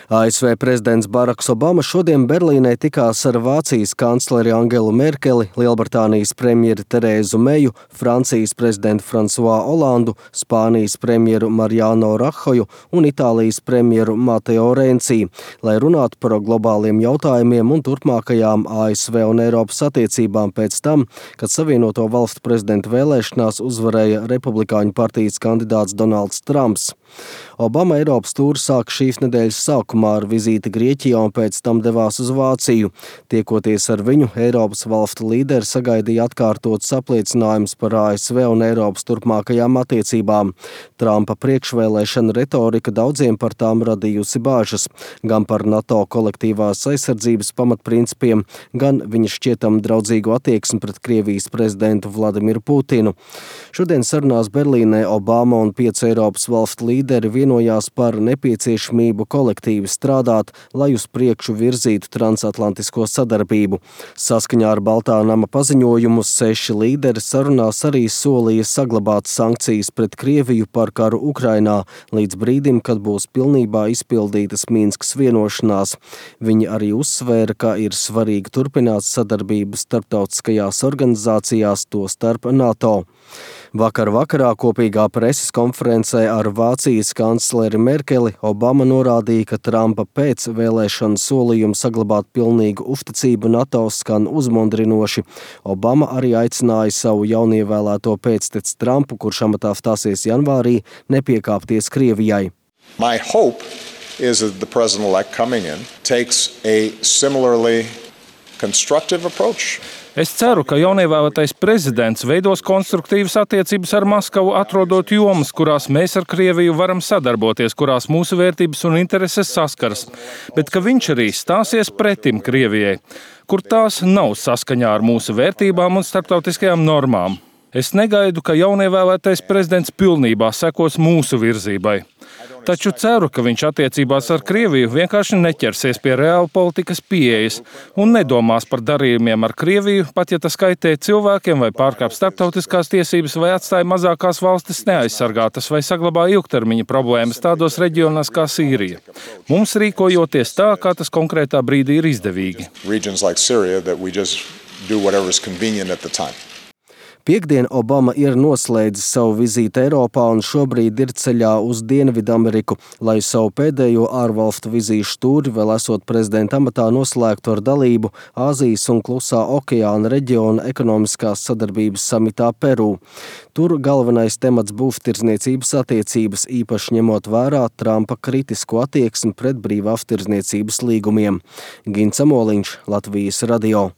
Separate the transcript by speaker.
Speaker 1: ASV prezidents Baraks Obama šodien Berlīnē tikās ar Vācijas kancleri Angelu Merkeli, Lielbritānijas premjeri Terēzu Meju, Francijas prezidentu Fransuā Olandu, Spānijas premjeru Mariano Rahoju un Itālijas premjeru Mateo Renci, lai runātu par globāliem jautājumiem un turpmākajām ASV un Eiropas attiecībām pēc tam, kad Savienoto Valstu prezidenta vēlēšanās uzvarēja Republikāņu partijas kandidāts Donalds Trumps. Obama Eiropas tūri sāka šīs nedēļas sākumā ar vizīti Grieķijā un pēc tam devās uz Vāciju. Tiekoties ar viņu, Eiropas valstu līderi sagaidīja atkārtotus apliecinājumus par ASV un Eiropas turpmākajām attiecībām. Trumpa priekšvēlēšana retorika daudziem par tām radījusi bāžas, gan par NATO kolektīvās aizsardzības pamatprincipiem, gan viņa šķietam draudzīgu attieksmi pret Krievijas prezidentu Vladimiru Putinu. Šodien sarunās Berlīnē Obama un 5 Eiropas valstu līderi vienojās par nepieciešamību kolektīvi strādāt, lai uz priekšu virzītu transatlantisko sadarbību. Saskaņā ar Baltā nama paziņojumu 6 līderi sarunās arī solīja saglabāt sankcijas pret Krieviju par karu Ukrainā līdz brīdim, kad būs pilnībā izpildītas Minskas vienošanās. Viņi arī uzsvēra, ka ir svarīgi turpināt sadarbību starptautiskajās organizācijās, tostarp NATO. Vakar vakarā kopīgā preses konferencē ar Vācijas kancleri Merkeli Obama norādīja, ka Trumpa pēc vēlēšanu solījumu saglabāt pilnīgu uzticību NATO skan uzmundrinoši. Obama arī aicināja savu jaunievēlēto pēcteci Trumpu, kurš amatā stāsies janvārī, nepiekāpties Krievijai.
Speaker 2: My hope is that the president-elect coming in takes a similarly constructive approach.
Speaker 3: Es ceru, ka jaunievēlētais prezidents veidos konstruktīvas attiecības ar Maskavu, atrodot jomas, kurās mēs ar Krieviju varam sadarboties, kurās mūsu vērtības un intereses saskaras, bet ka viņš arī stāsies pretim Krievijai, kur tās nav saskaņā ar mūsu vērtībām un starptautiskajām normām. Es negaidu, ka jaunievēlētais prezidents pilnībā sekos mūsu virzībai. Taču ceru, ka viņš attiecībās ar Krieviju vienkārši neķersies pie reāla politikas pieejas un nedomās par darījumiem ar Krieviju, pat ja tas kaitē cilvēkiem vai pārkāp starptautiskās tiesības vai atstāja mazākās valstis neaizsargātas vai saglabā ilgtermiņa problēmas tādos reģionos kā Sīrija. Mums rīkojoties tā, kā tas konkrētā brīdī ir izdevīgi.
Speaker 1: Piektdien Obama ir noslēdzis savu vizīti Eiropā un šobrīd ir ceļā uz Dienvidameriku, lai savu pēdējo ārvalstu vizīšu tūri vēl esot prezidenta amatā noslēgtu ar dalību Āzijas un Klusā okeāna reģiona ekonomiskās sadarbības samitā Peru. Tur galvenais temats būs tirdzniecības attiecības, īpaši ņemot vērā Trumpa kritisko attieksmi pret brīvās tirdzniecības līgumiem. Gints Amoliņš, Latvijas radio.